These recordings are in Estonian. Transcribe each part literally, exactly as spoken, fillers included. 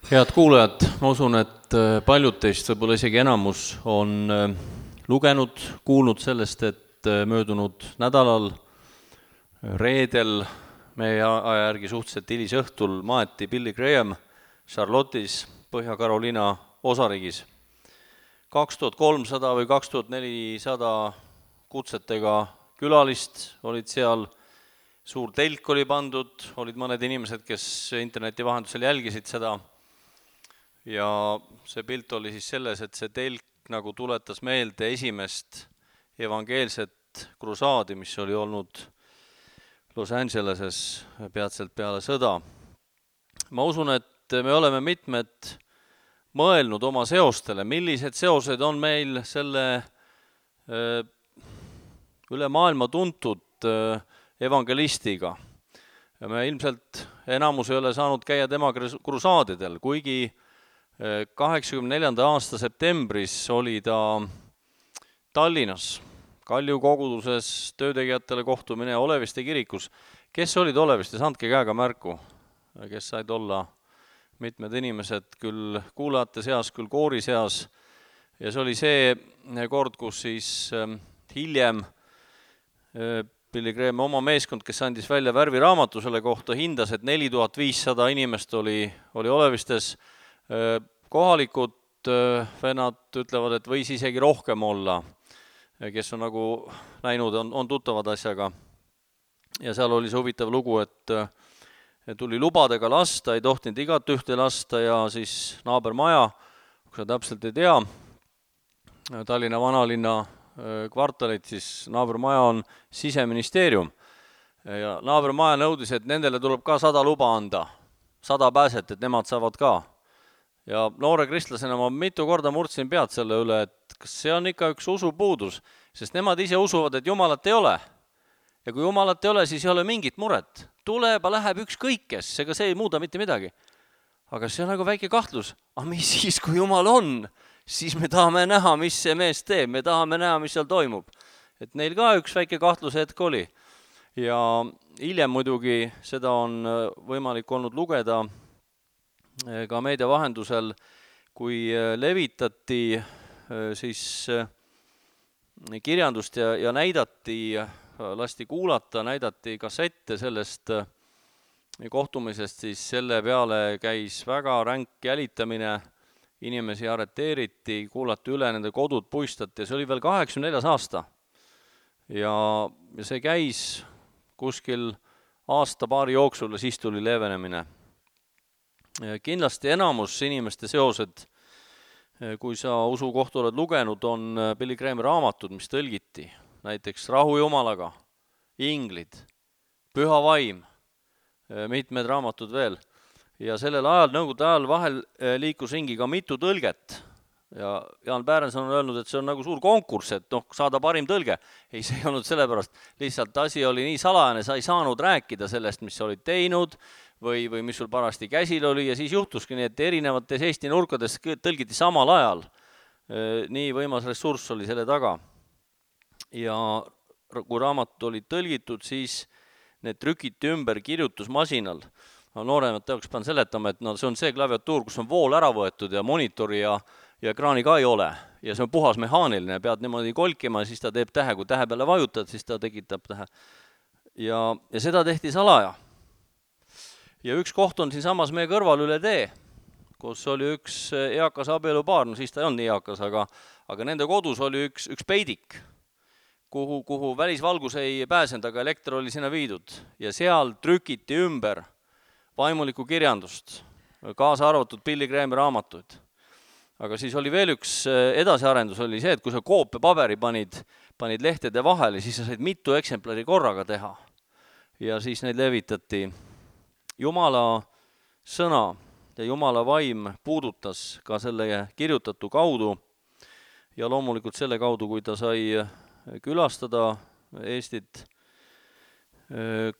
Head kuulajad, ma usun, et paljud teist, võib-olla isegi enamus, on lugenud, kuulnud sellest, et möödunud nädalal, reedel, meie aja järgi suhteliselt hilisõhtul maeti Billy Graham Charlotte'is, Põhja-Carolina osariigis. kaks tuhat kolmsada või kaks tuhat nelisada kutsetega külalist olid seal, suur telk oli pandud, olid mõned inimesed, kes interneti vahendusel jälgisid seda. Ja see pilt oli siis selles, et see telk nagu tuletas meelde esimest evangeelset krusaadi, mis oli olnud Los Angeleses peatselt peale sõda. Ma usun, et me oleme mitmed mõelnud oma seostele, millised seosed on meil selle üle maailma tuntud evangelistiga. Ja me ilmselt enamus ei ole saanud käia tema krusaadidel, kuigi kaheksakümne neljanda aasta septembris oli ta Tallinnas, Kalju koguduses töötegijatele kohtumine Oleviste kirikus. Kes olid Olevistes, andke käega märku, kes said olla mitmed inimesed, küll kuulajate seas, küll koori seas. Ja see oli see kord, kus siis hiljem Billy Graham oma meeskond, kes andis välja värviraamatu selle kohta, hindas, et neli tuhat viissada inimest oli, oli Olevistes. Kohalikud vennad ütlevad, et võis isegi rohkem olla, kes on nagu näinud, on, on tuttavad asjaga. Ja seal oli see huvitav lugu, et tuli lubadega lasta, ei tohtinud igat ühte lasta ja siis naabermaja, kui sa täpselt ei tea, Tallinna vanalinna kvartalit, siis naabermaja on Siseministeerium. Ja naabermaja nõudis, et nendele tuleb ka sada luba anda, sada pääset, et nemad saavad ka. Ja noore kristlasena ma mitu korda murdsin pead selle üle, et kas see on ikka üks usupuudus, sest nemad ise usuvad, et Jumalat ei ole. Ja kui Jumalat ei ole, siis ei ole mingit muret. Tuleba läheb ükskõik kes, ega see ei muuda mitte midagi. Aga see on nagu väike kahtlus. Aga mis siis, kui Jumal on? Siis me tahame näha, mis see mees teeb. Me tahame näha, mis seal toimub. Et neil ka üks väike kahtluse hetk oli. Ja hiljem muidugi seda on võimalik olnud lugeda ka meedia vahendusel, kui levitati siis kirjandust ja, ja näidati, lasti kuulata, näidati kassette sellest kohtumisest, siis selle peale käis väga ränk jälitamine, inimesi arreteeriti, kuulati üle, nende kodud puistati ja see oli veel kaheksakümne neljas aasta. Ja, ja see käis kuskil aasta paari jooksul ja siis tuli leevenemine. Kindlasti enamus inimeste seosed, kui sa usu kohta oled lugenud, on Billy Grahami raamatud, mis tõlgiti. Näiteks Rahu Jumalaga, Inglid, Püha vaim, mitmed raamatud veel. Ja sellel ajal, nõukogude ajal vahel liikus ringi ka mitu tõlget. Ja Jaan Pärenson on öelnud, et see on nagu suur konkurss, et noh, saada parim tõlge. Ei, see ei olnud sellepärast. Lihtsalt asi oli nii salajane, sa ei saanud rääkida sellest, mis sa olid teinud, või, või mis sul parasti käsil oli ja siis juhtuski nii, et erinevates Eesti nurkades tõlgiti samal ajal. Nii võimas ressurss oli selle taga. Ja kui raamat oli tõlgitud, siis need trükiti ümber kirjutusmasinal. No, nooremad teoks pean seletama, et no, see on see klaviatuur, kus on vool ära võetud ja monitori ja, ja ekraani ka ei ole. Ja see on puhas mehaaniline, pead niimoodi kolkima ja siis ta teeb tähe. Kui tähe peale vajutad, siis ta tekitab tähe. Ja, ja seda tehti salaja. Ja üks koht on siin samas meie kõrval üle tee, kus oli üks eakas abielupaar, no siis ta ei olnud nii eakas, aga, aga nende kodus oli üks, üks peidik, kuhu, kuhu välisvalgus ei pääsenud, aga elekter oli sinna viidud. Ja seal trükiti ümber vaimulikku kirjandust, kaasa arvatud Billy Grahami raamatuid. Aga siis oli veel üks edasiarendus, oli see, et kui sa koope paberi panid, panid lehtede vahele, siis sa said mitu eksemplari korraga teha. Ja siis neid levitati. Jumala sõna ja Jumala vaim puudutas ka selle kirjutatu kaudu ja loomulikult selle kaudu, kui ta sai külastada Eestit.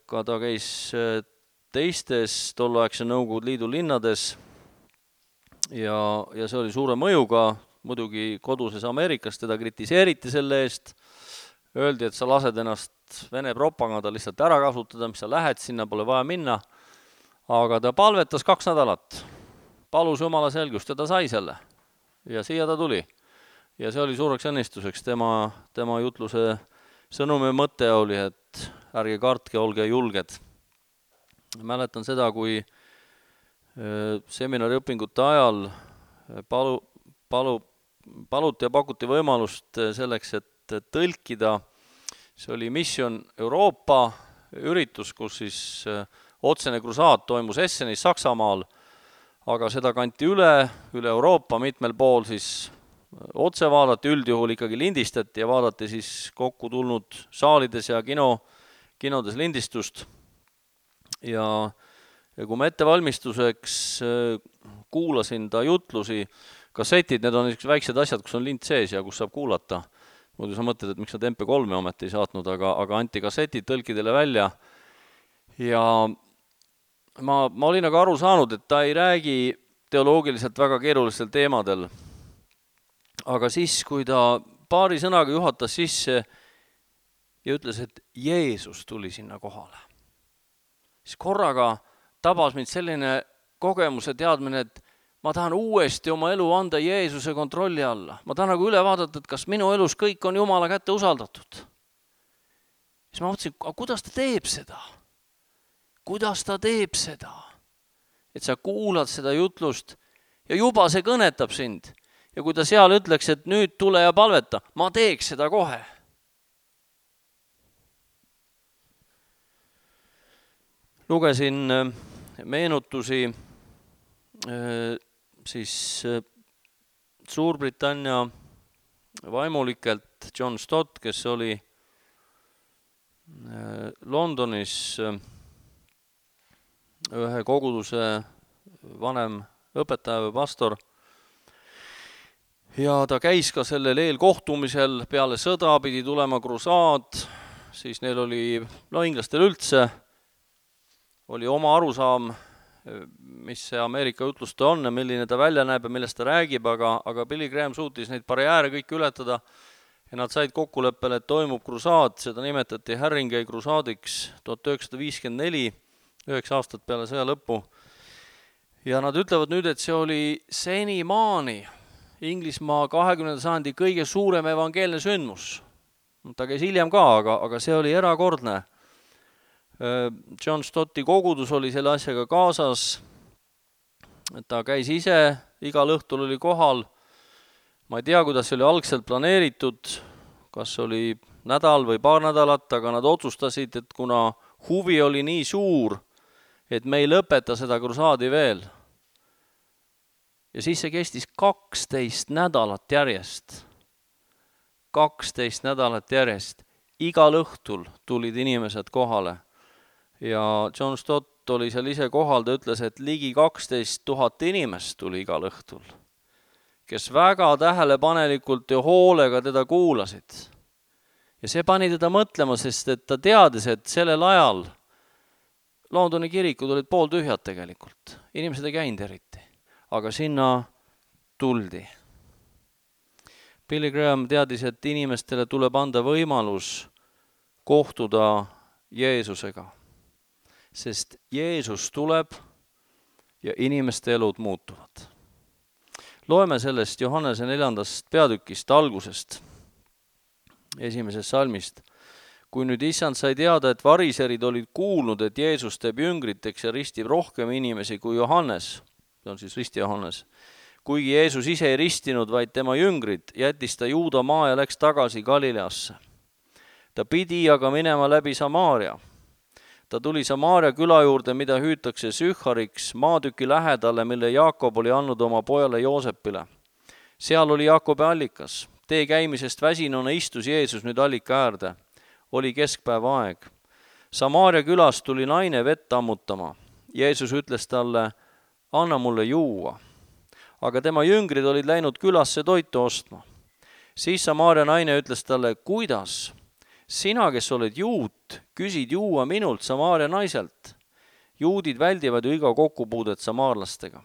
Ka ta käis teistes tolleaegse Nõukogude Liidu linnades ja, ja see oli suure mõjuga, muidugi koduses Ameerikas teda kritiseeriti selle eest. Öeldi, et sa lased ennast Vene propaganda lihtsalt ära kasutada, mis sa lähed, sinna pole vaja minna. Aga ta palvetas kaks nädalat. palus Jumala selgust ja ta sai selle. Ja siia ta tuli. Ja see oli suureks õnnistuseks. Tema, tema jutluse sõnumi mõte oli, et ärge kartke, olge julged. Mäletan seda, kui seminari õpingute ajal palu, palu, paluti ja pakuti võimalust selleks, et tõlkida. See oli Mission Euroopa üritus, kus siis otsene krusaad toimus Essenis Saksamaal, aga seda kanti üle, üle Euroopa mitmel pool siis otse vaadati, üldjuhul ikkagi lindistati ja vaadati siis kokku tulnud saalides ja kino, kinodes lindistust. Ja, ja kui ma ettevalmistuseks kuulasin ta jutlusi, kassetid, need on niisugused väiksed asjad, kus on lint sees ja kus saab kuulata. Muidu sa mõtled, et miks nad M P kolme ometi ei saatnud, aga, aga anti kassetid tõlkidele välja. Ja ma, ma olin aga aru saanud, et ta ei räägi teoloogiliselt väga keerulistel teemadel. Aga siis, kui ta paari sõnaga juhatas sisse ja ütles, et Jeesus tuli sinna kohale, siis korraga tabas mind selline kogemuse teadmine, et ma tahan uuesti oma elu anda Jeesuse kontrolli alla. Ma tahan nagu üle vaadata, et kas minu elus kõik on Jumala kätte usaldatud. Siis ma mõtlesin, kuidas ta teeb seda? Kuidas ta teeb seda? Et sa kuulad seda jutlust ja juba see kõnetab sind. Ja kui ta seal ütleks, et nüüd tule ja palveta, ma teeks seda kohe. Lugesin meenutusi siis Suurbritannia vaimulikelt John Stott, kes oli Londonis ühe koguduse vanem õpetaja või pastor. Ja ta käis ka sellel eelkohtumisel, peale sõda pidi tulema krusaad, siis neil oli, no inglastel üldse, oli oma arusaam, mis see Ameerika jutluste on ja milline ta välja näeb ja millest ta räägib, aga, aga Billy Graham suutis neid barjääre kõik ületada ja nad said kokkuleppele, et toimub krusaad, seda nimetati Haringey krusaadiks tuhat üheksasada viiskümmend neli, üheksa aastat peale sõja lõppu. Ja nad ütlevad nüüd, et see oli senimaani Inglismaa kahekümnenda sajandi kõige suurem evangeelne sündmus. Ta käis hiljem ka, aga, aga see oli erakordne. John Stotti kogudus oli selle asjaga kaasas, ta käis ise, igal õhtul oli kohal, ma ei tea, kuidas see oli algselt planeeritud, kas oli nädal või paar nädalat, aga nad otsustasid, et kuna huvi oli nii suur, et me ei lõpeta seda krusaadi veel. Ja siis see kestis kaksteist nädalat järjest, kaksteist nädalat järjest, igal õhtul tulid inimesed kohale. Ja John Stott oli seal ise kohal, ta ütles, et ligi kaksteist tuhat inimest tuli igal õhtul, kes väga tähelepanelikult ja hoolega teda kuulasid. Ja see pani teda mõtlema, sest et ta teadis, et sellel ajal Londoni kirikud olid pooltühjad tegelikult. Inimesed ei käinud eriti, aga sinna tuldi. Billy Graham teadis, et inimestele tuleb anda võimalus kohtuda Jeesusega. Sest Jeesus tuleb ja inimeste elud muutuvad. Loeme sellest Johannese neljandast peatükist algusest, esimesest salmist. Kui nüüd issand sai teada, et variserid olid kuulnud, et Jeesus teeb jüngriteks ja ristib rohkem inimesi kui Johannes, see on siis risti Johannes, kuigi Jeesus ise ei ristinud, vaid tema jüngrid, jättis ta Juuda maa ja läks tagasi Galileasse. Ta pidi aga minema läbi Samaaria. Ta tuli Samaaria küla juurde, mida hüütakse Sühhariks, maatüki lähedale, mille Jaakob oli andnud oma pojale Joosepile. Seal oli Jaakobi allikas. Tee käimisest väsinuna istus Jeesus nüüd allika äärde. Oli keskpäeva aeg. Samaaria külas tuli naine vett ammutama. Jeesus ütles talle, anna mulle juua. Aga tema jüngrid olid läinud külasse toitu ostma. Siis Samaaria naine ütles talle, kuidas? Sina, kes oled juut, küsid juua minult Samaaria naiselt. Juudid väldivad ju iga kokkupuudet samaarlastega.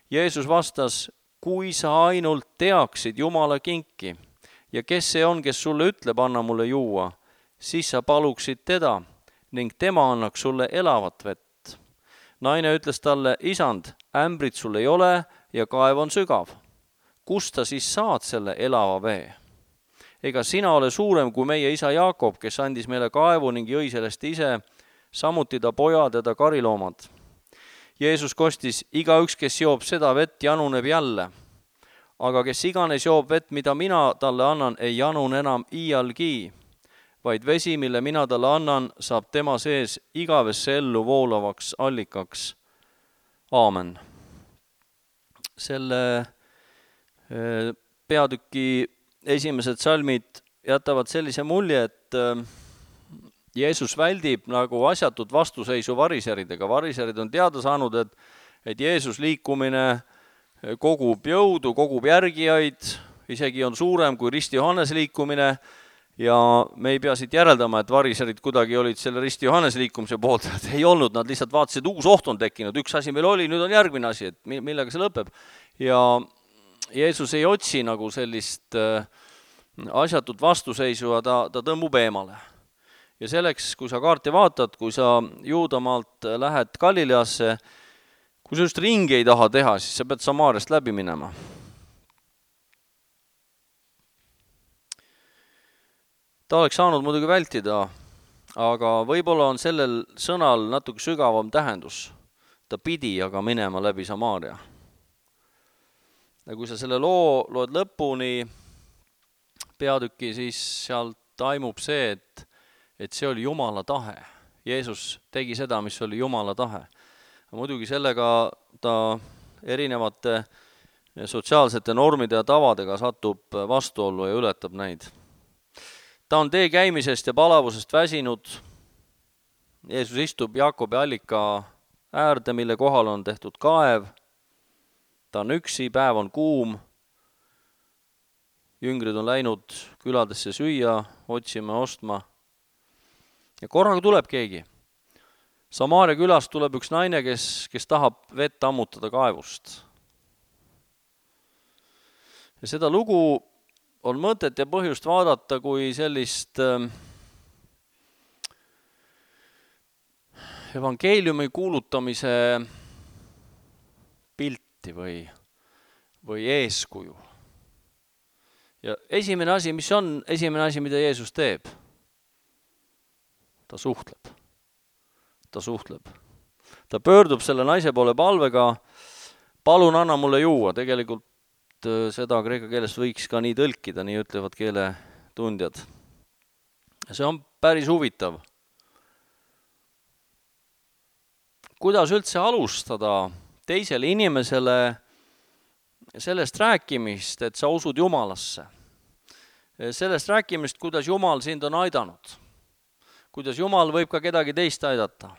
Jeesus vastas, kui sa ainult teaksid Jumala kinki ja kes see on, kes sulle ütleb, anna mulle juua, siis sa paluksid teda ning tema annaks sulle elavat vett. Naine ütles talle, isand, ämbrit sul ei ole ja kaev on sügav. Kust sa siis saad selle elava vee? Ega sina ole suurem kui meie isa Jaakob, kes andis meile kaevu ning jõi sellest ise, samuti ta pojad ja ta kariloomad. Jeesus kostis, igaüks, kes joob seda vett, januneb jälle. Aga kes iganes joob vett, mida mina talle annan, ei janun enam iialgi, vaid vesi, mille mina talle annan, saab tema sees igavesse ellu voolavaks allikaks. Aamen. Selle peatüki esimesed salmid jätavad sellise mulje, et Jeesus väldib nagu asjatut vastuseisu variseridega. Variserid on teada saanud, et, et Jeesus liikumine kogub jõudu, kogub järgijaid, isegi on suurem kui Risti Johannese liikumine ja me ei pea siit järeldama, et variserid kuidagi olid selle Risti Johannese liikumise poolt, et ei olnud, nad lihtsalt vaatasid, uus oht on tekkinud, üks asi meil oli, nüüd on järgmine asi, et millega see lõpeb. Ja Jeesus ei otsi nagu sellist asjatut vastuseisu ja ta, ta tõmbub eemale. Ja selleks, kui sa kaarti vaatad, kui sa Juudamaalt lähed Galileasse, kui sa just ringi ei taha teha, siis sa pead Samaariast läbi minema. Ta oleks saanud muidugi vältida, aga võib-olla on sellel sõnal natuke sügavam tähendus. Ta pidi aga minema läbi Samaaria. Ja kui sa selle loo loed lõpuni peatüki, siis sealt taimub see, et, et see oli Jumala tahe. Jeesus tegi seda, mis oli Jumala tahe. Muidugi sellega ta erinevate sotsiaalsete normide ja tavadega satub vastuollu ja ületab neid. Ta on tee käimisest ja palavusest väsinud. Jeesus istub Jaakobi allika äärde, mille kohal on tehtud kaev. Ta on üksi, päev on kuum. Jüngrid on läinud küladesse süüa, otsima, ostma. Ja korraga tuleb keegi. Samaaria külast tuleb üks naine, kes, kes tahab vett ammutada kaevust. Ja seda lugu on mõtet ja põhjust vaadata kui sellist evangeeliumi kuulutamise pilti või, või eeskuju. Ja esimene asi, mis on esimene asi, mida Jeesus teeb? Ta suhtleb. Ta suhtleb. Ta pöördub selle naise poole palvega, palun anna mulle juua. Tegelikult seda kreeka keeles võiks ka nii tõlkida, nii ütlevad keeletundjad. See on päris huvitav. Kuidas üldse alustada teisele inimesele sellest rääkimist, et sa usud Jumalasse? Sellest rääkimist, kuidas Jumal sind on aidanud. Kuidas Jumal võib ka kedagi teist aidata.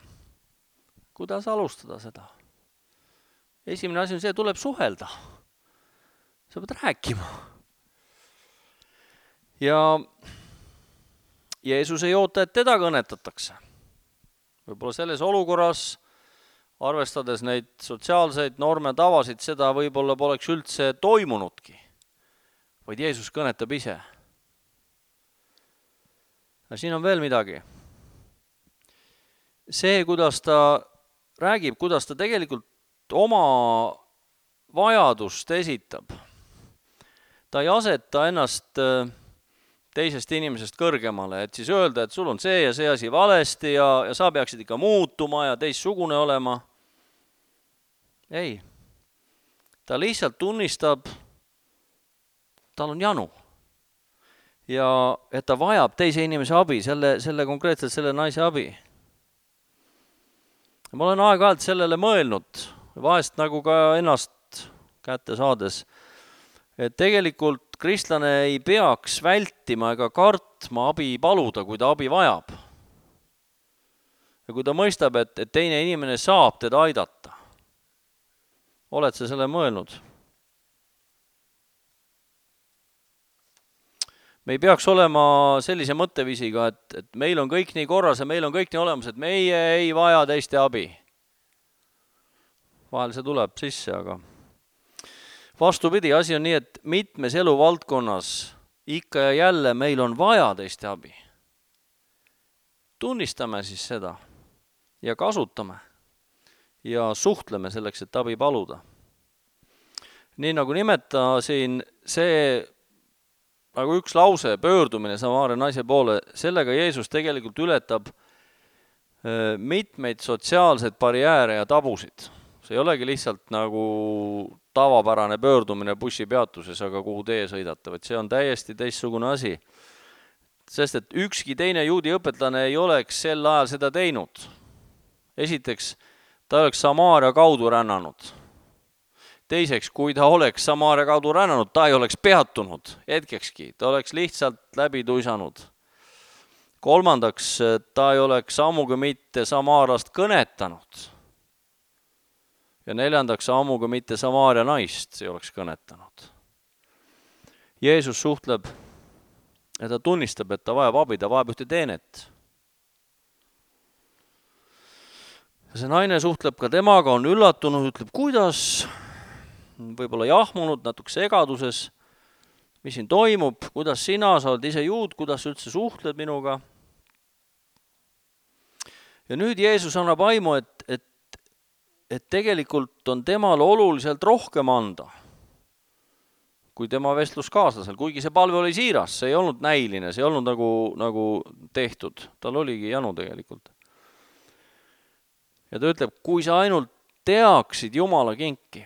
Kuidas alustada seda? Esimene asi on see, tuleb suhelda. Sa pead rääkima. Ja Jeesus ei oota, et teda kõnetatakse. Võib-olla selles olukorras, arvestades neid sotsiaalseid norme tavasid, seda võib-olla poleks üldse toimunudki, vaid Jeesus kõnetab ise. Ja siin on veel midagi. See, kuidas ta räägib, kuidas ta tegelikult oma vajadust esitab. Ta ei aseta ennast teisest inimesest kõrgemale, et siis öelda, et sul on see ja see asi valesti ja, ja sa peaksid ikka muutuma ja teistsugune olema. Ei. Ta lihtsalt tunnistab, tal on janu. Ja et ta vajab teise inimese abi, selle, selle konkreetselt selle naise abi. Ma olen aeg-ajalt sellele mõelnud, vahest nagu ka ennast kätte saades, et tegelikult kristlane ei peaks vältima ega kartma abi paluda, kui ta abi vajab. Ja kui ta mõistab, et, et teine inimene saab teda aidata. Oled sa selle mõelnud? Me ei peaks olema sellise mõtteviisiga, et, et meil on kõik nii korras ja meil on kõik nii olemas, et meie ei vaja teiste abi. Vahel see tuleb sisse, aga vastupidi, asi on nii, et mitmes eluvaldkonnas ikka ja jälle meil on vaja teiste abi. Tunnistame siis seda ja kasutame. ja suhtleme selleks, et abi paluda. Nii nagu nimetasin, see nagu üks lause, pöördumine Samaaria naise poole, sellega Jeesus tegelikult ületab mitmeid sotsiaalseid barjääre ja tabusid. See ei olegi lihtsalt nagu tavapärane pöördumine bussipeatuses, aga kuhu teie sõidate, vaid see on täiesti teistsugune asi. Sest et ükski teine juudi õpetlane ei oleks sel ajal seda teinud. Esiteks, ta oleks Samaaria kaudu rännanud. Teiseks, kui ta oleks Samaaria kaudu rännanud, ta ei oleks peatunud hetkekski, ta oleks lihtsalt läbi tuisanud. Kolmandaks, ta ei oleks ammugi mitte Samaarast kõnetanud. Ja neljandaks, ammugi mitte Samaaria naist ei oleks kõnetanud. Jeesus suhtleb ja ta tunnistab, et ta vajab abi, ta vajab ühte teenet. Ja see naine suhtleb ka temaga, on üllatunud, ütleb, kuidas, võib-olla jahmunud, natuke segaduses, mis siin toimub, kuidas sina, sa oled ise juud, kuidas üldse suhtled minuga. Ja nüüd Jeesus annab aimu, et, et, et tegelikult on temal oluliselt rohkem anda kui tema vestluskaaslasel, kuigi see palve oli siiras, see ei olnud näiline, see ei olnud nagu, nagu tehtud, tal oligi janu tegelikult. Ja ta ütleb, kui sa ainult teaksid Jumala kinki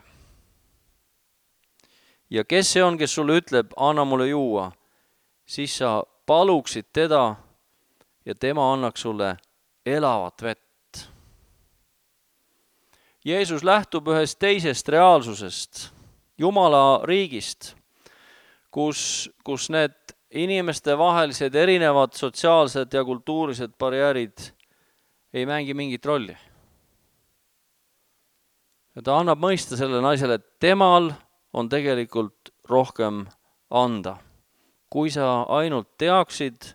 ja kes see on, kes sulle ütleb, anna mulle juua, siis sa paluksid teda ja tema annaks sulle elavat vett. Jeesus lähtub ühest teisest reaalsusest, Jumala riigist, kus, kus need inimeste vahelised erinevad sotsiaalsed ja kultuurised barjäärid ei mängi mingit rolli. Ja ta annab mõista selle naisele, et temal on tegelikult rohkem anda. Kui sa ainult teaksid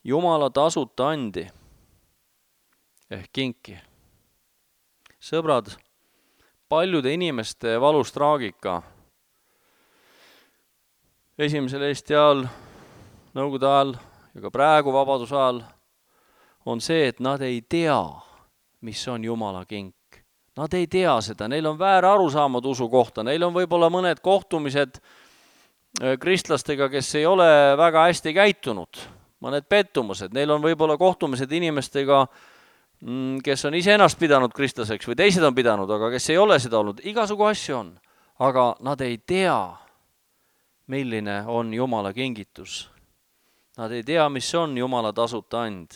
Jumala tasuta andi ehk kinki. Sõbrad, paljude inimeste valus traagika esimesel Eesti ajal, nõukogude ajal ja ka praegu vabaduse ajal on see, et nad ei tea, mis on Jumala kink. Nad ei tea seda, neil on väär arusaamad usu kohta, neil on võib-olla mõned kohtumised kristlastega, kes ei ole väga hästi käitunud, mõned pettumused, neil on võib-olla kohtumised inimestega, kes on ise ennast pidanud kristlaseks või teised on pidanud, aga kes ei ole seda olnud, igasugu asju on, aga nad ei tea, milline on Jumala kingitus. Nad ei tea, mis on Jumala tasuta and.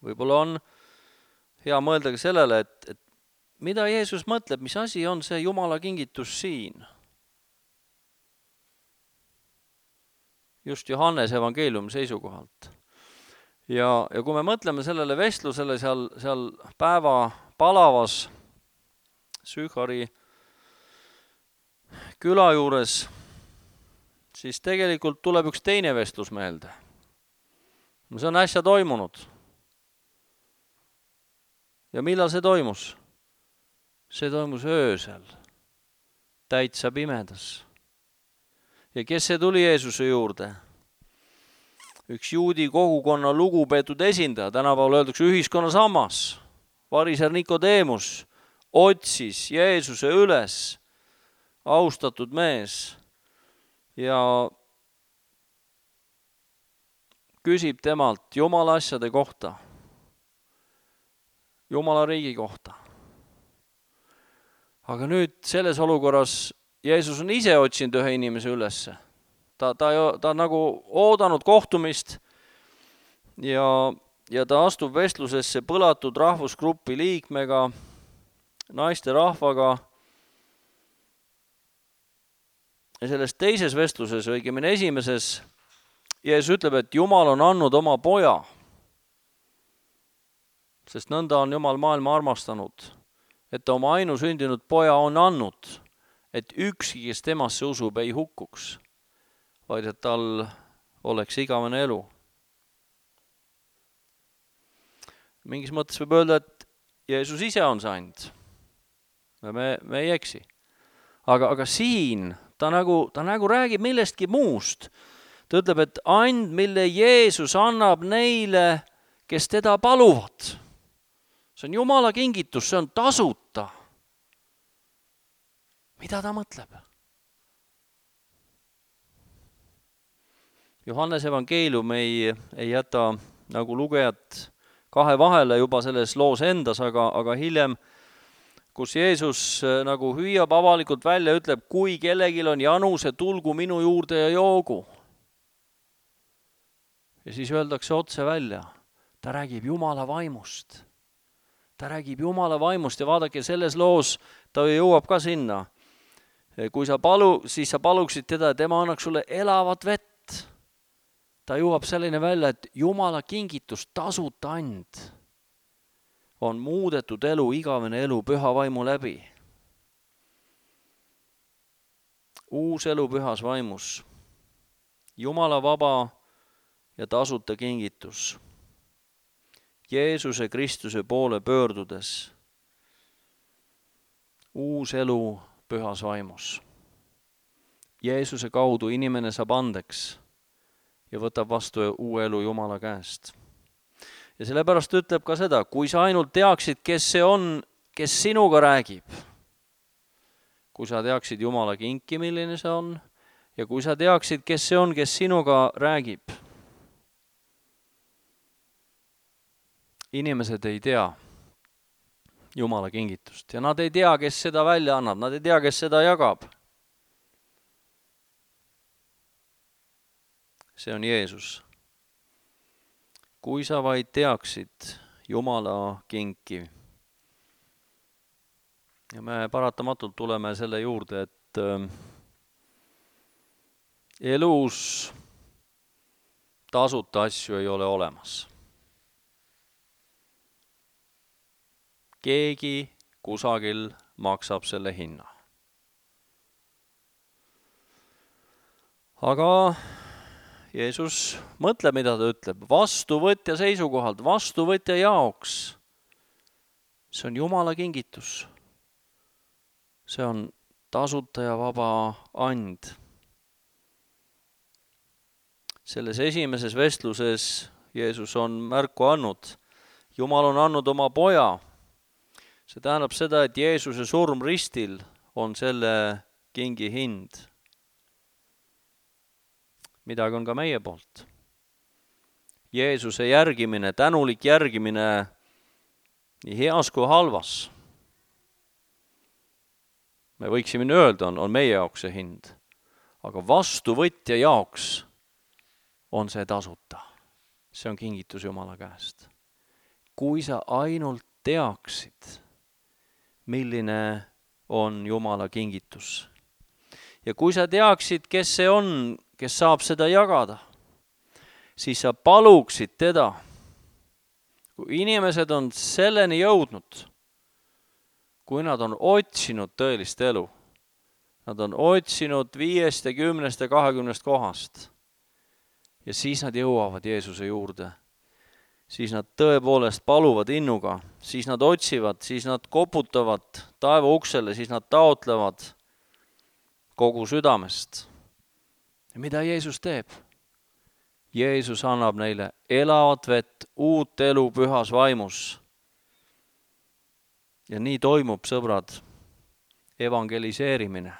Võib-olla on hea mõelda ka sellele, et, et mida Jeesus mõtleb, mis asi on see Jumala kingitus siin. Just Johannes evangeeliumi seisukohalt. Ja, ja kui me mõtleme sellele vestlusele seal, seal päeva palavas Sühari küla juures, siis tegelikult tuleb üks teine vestlus meelde. See on äsja toimunud. Ja millal see toimus? See toimus öösel, täitsa pimedas. Ja kes see tuli Jeesuse juurde? Üks juudi kogukonna lugupeetud esindaja, tänapäeval öeldakse ühiskonna sammas, variser Nikodeemus, otsis Jeesuse üles, austatud mees, ja küsib temalt Jumala asjade kohta, Jumala riigi kohta. Aga nüüd selles olukorras Jeesus on ise otsinud ühe inimese ülesse. Ta, ta, ta on nagu oodanud kohtumist ja, ja ta astub vestlusesse põlatud rahvusgrupi liikmega, naiste rahvaga. Ja selles teises vestluses, õigemini esimeses, Jeesus ütleb, et Jumal on andnud oma poja, sest nõnda on Jumal maailma armastanud, et ta oma ainusündinud poja on andnud, et ükski, kes temasse usub, ei hukkuks, vaid et tal oleks igavene elu. Mingis mõttes võib öelda, et Jeesus ise on see and. Me, me ei eksi. Aga, aga siin ta nagu, ta nagu räägib millestki muust. Ta ütleb, et and, mille Jeesus annab neile, kes teda paluvad. See on Jumala kingitus, see on tasuta. Mida ta mõtleb? Johannese evangeelium ei, ei jäta nagu lugejat kahe vahele juba selles loos endas, aga, aga hiljem, kus Jeesus nagu hüüab avalikult välja, ütleb, kui kellegil on janu, see tulgu minu juurde ja joogu. Ja siis öeldakse otse välja, ta räägib Jumala vaimust. Ta räägib Jumala vaimust ja vaadake, selles loos ta jõuab ka sinna. Kui sa palu, siis sa paluksid teda, et tema annaks sulle elavat vett. Ta jõuab selline välja, et Jumala kingitus, tasuta and, on muudetud elu, igavene elu püha vaimu läbi. Uus elu pühas vaimus. Jumala vaba ja tasuta kingitus. Jeesuse Kristuse poole pöördudes. Uus elu pühas vaimus. Jeesuse kaudu inimene saab andeks ja võtab vastu uue elu Jumala käest. Ja sellepärast ütleb ka seda, kui sa ainult teaksid, kes see on, kes sinuga räägib, kui sa teaksid Jumala kinki, milline see on, ja kui sa teaksid, kes see on, kes sinuga räägib. Inimesed ei tea Jumala kingitust ja nad ei tea, kes seda välja annab, nad ei tea, kes seda jagab. See on Jeesus. Kui sa vaid teaksid Jumala kinki. Ja me paratamatult tuleme selle juurde, et elus tasuta asju ei ole olemas. Keegi kusagil maksab selle hinna. Aga Jeesus mõtleb, mida ta ütleb, vastuvõtja seisukohalt, vastuvõtja jaoks. See on Jumala kingitus. See on tasuta ja vaba and. Selles esimeses vestluses Jeesus on märku andnud. Jumal on andnud oma poja. See tähendab seda, et Jeesuse surm ristil on selle kingi hind. Midagi on ka meie poolt. Jeesuse järgimine, tänulik järgimine nii heas kui halvas. Me võiksime öelda, on, on meie jaoks see hind. Aga vastuvõtja jaoks on see tasuta. See on kingitus Jumala käest. Kui sa ainult teaksid, milline on Jumala kingitus. Ja kui sa teaksid, kes see on, kes saab seda jagada, siis sa paluksid teda. Kui inimesed on selleni jõudnud, kui nad on otsinud tõelist elu, nad on otsinud viiest ja kümnest ja kahekümnest kohast ja siis nad jõuavad Jeesuse juurde, siis nad tõepoolest paluvad innuga, siis nad otsivad, siis nad koputavad taeva uksele, siis nad taotlevad kogu südamest. Ja mida Jeesus teeb? Jeesus annab neile elavat vett, uut elu pühas vaimus. Ja nii toimub, sõbrad, evangeliseerimine,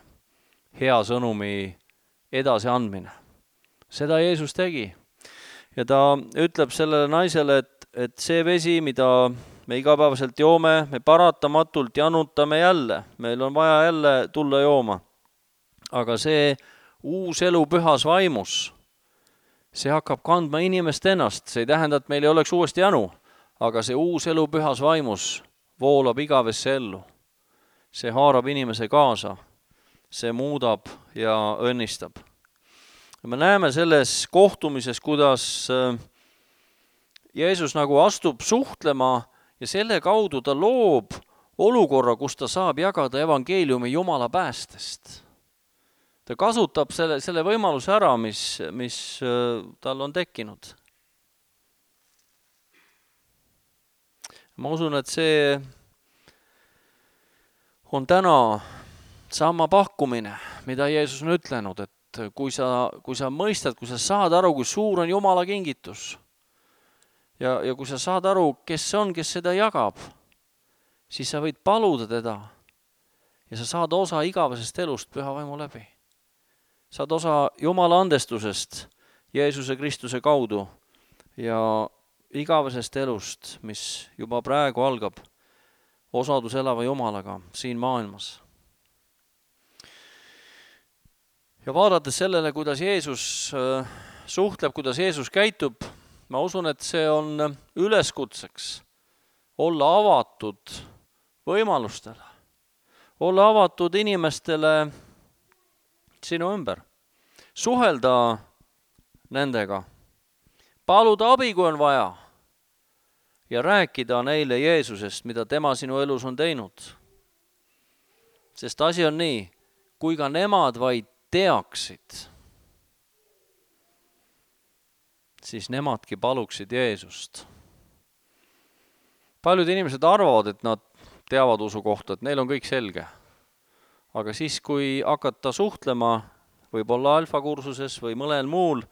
hea sõnumi edasiandmine. Seda Jeesus tegi. Ja ta ütleb sellele naisele, et, et see vesi, mida me igapäevaselt joome, me paratamatult janutame jälle. Meil on vaja jälle tulla jooma. Aga see uus elu pühas vaimus, see hakkab kandma inimest ennast. See ei tähenda, et meil ei oleks uuesti janu, aga see uus elu pühas vaimus voolab igavesse ellu. See haarab inimese kaasa, see muudab ja õnnistab. Ja me näeme selles kohtumises, kuidas Jeesus nagu astub suhtlema ja selle kaudu ta loob olukorra, kus ta saab jagada evangeeliumi Jumala päästest. Ta kasutab selle, selle võimaluse ära, mis, mis tal on tekkinud. Ma usun, et see on täna sama pakkumine, mida Jeesus on ütlenud, et kui sa, kui sa mõistad, kui sa saad aru, kui suur on Jumala kingitus ja, ja kui sa saad aru, kes on, kes seda jagab, siis sa võid paluda teda ja sa saad osa igavesest elust Püha Vaimu läbi. Saad osa Jumala andestusest Jeesuse Kristuse kaudu ja igavesest elust, mis juba praegu algab osadus elava Jumalaga siin maailmas. Ja vaadates sellele, kuidas Jeesus suhtleb, kuidas Jeesus käitub, ma usun, et see on üleskutseks olla avatud võimalustele, olla avatud inimestele sinu ümber, suhelda nendega, paluda abi, kui on vaja, ja rääkida neile Jeesusest, mida tema sinu elus on teinud. Sest asi on nii, kui ka nemad vaid teaksid, siis nemadki paluksid Jeesust. Paljud inimesed arvavad, et nad teavad usu kohta, et neil on kõik selge. Aga siis, kui hakata suhtlema, võib-olla alfakursuses või mõnel muul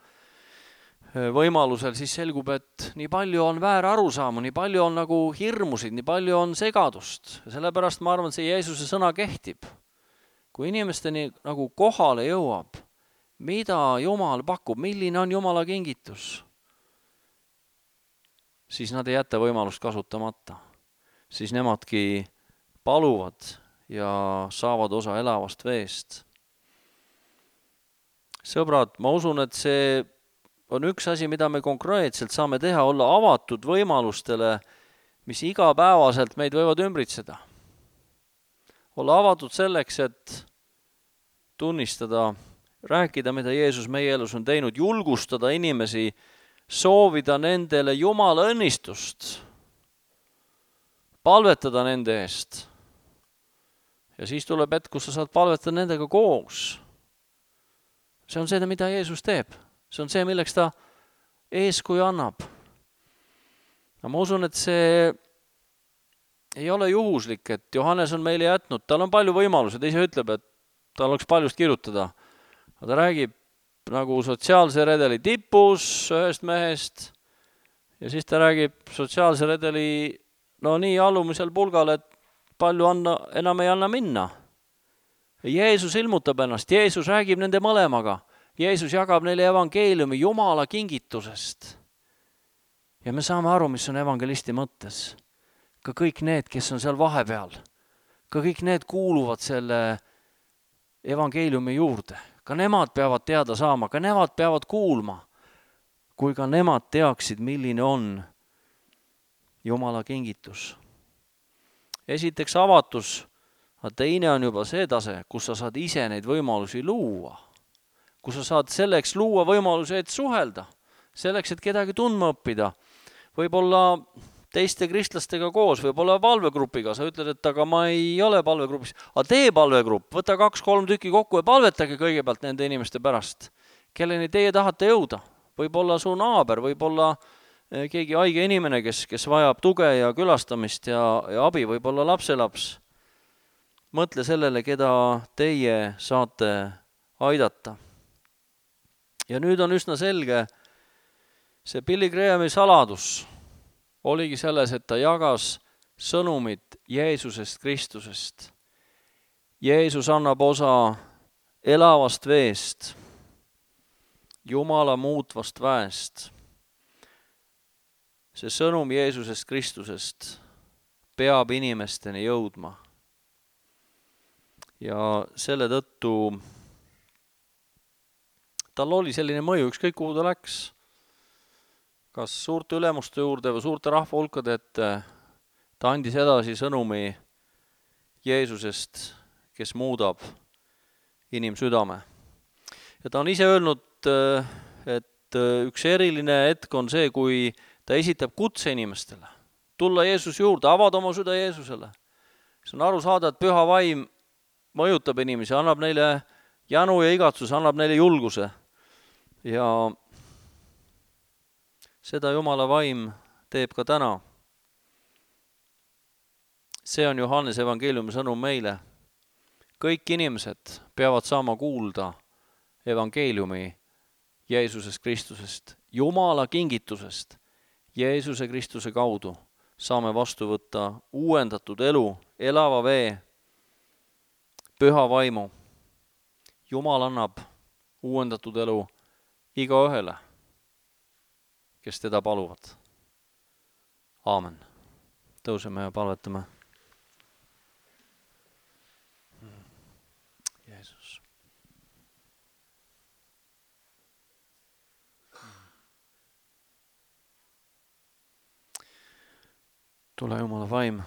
võimalusel, siis selgub, et nii palju on väär arusaama, nii palju on nagu hirmusid, nii palju on segadust. Ja sellepärast ma arvan, et see Jeesuse sõna kehtib. Kui inimesteni nagu kohale jõuab, mida Jumal pakub, milline on Jumala kingitus, siis nad ei jäta võimalust kasutamata. Siis nemadki paluvad ja saavad osa elavast veest. Sõbrad, ma usun, et see on üks asi, mida me konkreetselt saame teha, olla avatud võimalustele, mis igapäevaselt meid võivad ümbritseda. Olla avatud selleks, et tunnistada, rääkida, mida Jeesus meie elus on teinud, julgustada inimesi, soovida nendele Jumala õnnistust, palvetada nende eest. Ja siis tuleb hetk, kus sa saad palvetada nendega koos. See on see, mida Jeesus teeb. See on see, milleks ta eeskuju annab. Ma usun, et see ei ole juhuslik, et Johannes on meile jätnud. Tal on palju võimalusi, ta ise ütleb, et tal oleks paljust kirjutada. Aga ta räägib nagu sotsiaalse redeli tipus ühest mehest ja siis ta räägib sotsiaalse redeli no nii alumisel pulgal, et palju anna, enam ei anna minna. Jeesus ilmutab ennast, Jeesus räägib nende mõlemaga. Jeesus jagab neile evangeeliumi Jumala kingitusest. Ja me saame aru, mis on evangelisti mõttes. Ka kõik need, kes on seal vahepeal, ka kõik need kuuluvad selle evangeeliumi juurde. Ka nemad peavad teada saama, ka nemad peavad kuulma, kui ka nemad teaksid, milline on Jumala kingitus. Esiteks avatus, aga teine on juba see tase, kus sa saad ise neid võimalusi luua. Kus sa saad selleks luua võimaluse, et suhelda, selleks, et kedagi tundma õppida. Võib-olla teiste kristlastega koos, võib-olla palvegrupiga. Sa ütled, et aga ma ei ole palvegrupis. Aga tee palvegrupp, võta kaks-kolm tükki kokku ja palvetage kõigepealt nende inimeste pärast. Kelleni teie tahate jõuda. Võib-olla su naaber, võib-olla keegi haige inimene, kes, kes vajab tuge ja külastamist ja, ja abi, võib-olla lapselaps. Mõtle sellele, keda teie saate aidata. Ja nüüd on üsna selge, see Billy Grahami saladus oligi selles, et ta jagas sõnumit Jeesusest Kristusest. Jeesus annab osa elavast veest, Jumala muutvast väest. See sõnum Jeesusest Kristusest peab inimesteni jõudma. Ja selle tõttu tal oli selline mõju, ükskõik kuhu ta läks. Kas suurte ülemuste juurde või suurte rahva hulkade, et ta andis edasi sõnumi Jeesusest, kes muudab inimsüdame. Ja ta on ise öelnud, et üks eriline hetk on see, kui ta esitab kutse inimestele. Tulla Jeesus juurde, avada oma süda Jeesusele. See on aru saada, et Püha Vaim mõjutab inimesi, annab neile janu ja igatsus, annab neile julguse. Ja seda Jumala Vaim teeb ka täna. See on Johannes evangeeliumi sõnum meile. Kõik inimesed peavad saama kuulda evangeeliumi Jeesusest Kristusest, Jumala kingitusest Jeesuse Kristuse kaudu. saame vastu võtta uuendatud elu, elava vee, püha vaimu. Jumal annab uuendatud elu igaühele, kes teda paluvad. Aamen. Tõuseme ja palvetame. Jeesus. Tule Jumala vaim.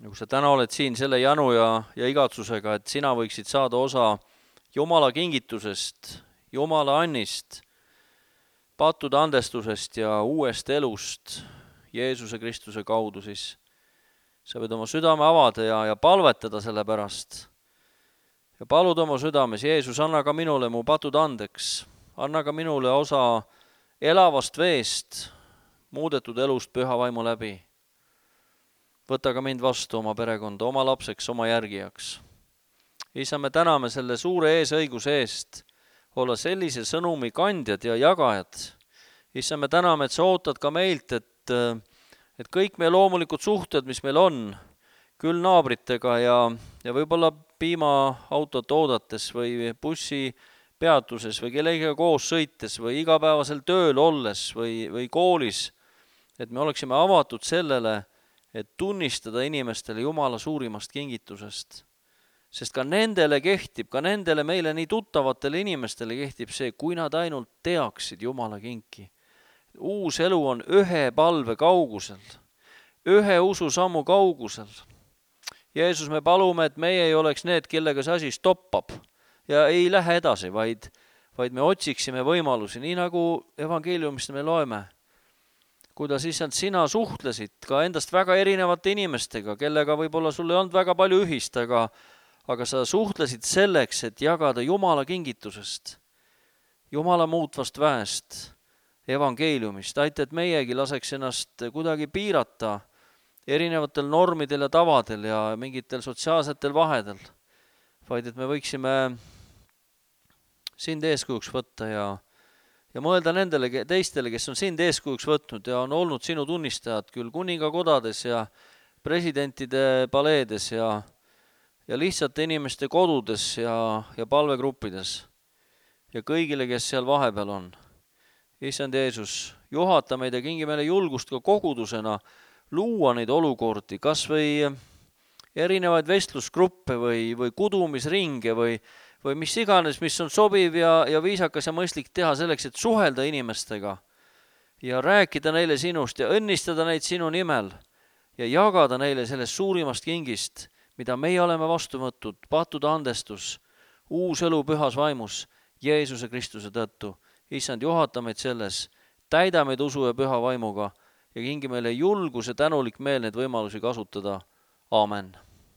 Ja kui sa täna oled siin selle janu ja, ja igatsusega, et sina võiksid saada osa Jumala kingitusest, Jumala annist, pattude andestusest ja uuest elust Jeesuse Kristuse kaudu, siis sa võid oma südame avada ja, ja palvetada selle pärast. Ja palud oma südames, Jeesus, anna ka minule mu patud andeks, anna ka minule osa elavast veest, muudetud elust püha vaimu läbi. Võta ka mind vastu oma perekonda, oma lapseks, oma järgijaks. Isa, me täname selle suure eesõiguse eest olla sellise sõnumi kandjad ja jagajad. Isa, me täname, et sa ootad ka meilt, et, et kõik meie loomulikud suhted, mis meil on, küll naabritega ja, ja võib-olla piimaautot oodates või bussi peatuses või kellegagi koos sõites või igapäevasel tööl olles või, või koolis, et me oleksime avatud sellele, et tunnistada inimestele Jumala suurimast kingitusest. Sest ka nendele kehtib, ka nendele meile nii tuttavatele inimestele kehtib see, kui nad ainult teaksid Jumala kinki. Uus elu on ühe palve kaugusel, ühe ususammu kaugusel. Jeesus, me palume, et meie ei oleks need, kellega see asi stoppab ja ei lähe edasi, vaid, vaid me otsiksime võimalusi, nii nagu evangeeliumist me loeme. Kuidas issand sina suhtlesid ka endast väga erinevate inimestega, kellega võib-olla sul ei olnud väga palju ühist, aga, aga sa suhtlesid selleks, et jagada Jumala kingitusest, Jumala muutvast väest, evangeeliumist. Aita, et meiegi laseks ennast kuidagi piirata erinevatel normidel ja tavadel ja mingitel sotsiaalsetel vahedel, vaid et me võiksime sind eeskujuks võtta ja Ja mõelda nendele teistele, kes on sind eeskujuks võtnud ja on olnud sinu tunnistajad küll kuningakodades ja presidentide paleedes ja, ja lihtsate inimeste kodudes ja, ja palvegruppides ja kõigile, kes seal vahepeal on. Issand Jeesus, juhata meid ja kingi meile julgust ka kogudusena luua neid olukordi, kas või erinevaid vestlusgruppe või, või kudumisringe või või mis iganes, mis on sobiv ja, ja viisakas ja mõistlik teha selleks, et suhelda inimestega ja rääkida neile sinust ja õnnistada neid sinu nimel ja jagada neile sellest suurimast kingist, mida meie oleme vastu võtnud, pattude andestus, uus elu pühas vaimus, Jeesuse Kristuse tõttu. Issand, juhata meid selles, täida meid usu ja püha vaimuga ja kingi meile julgus ja tänulik meel neid võimalusi kasutada. Aamen.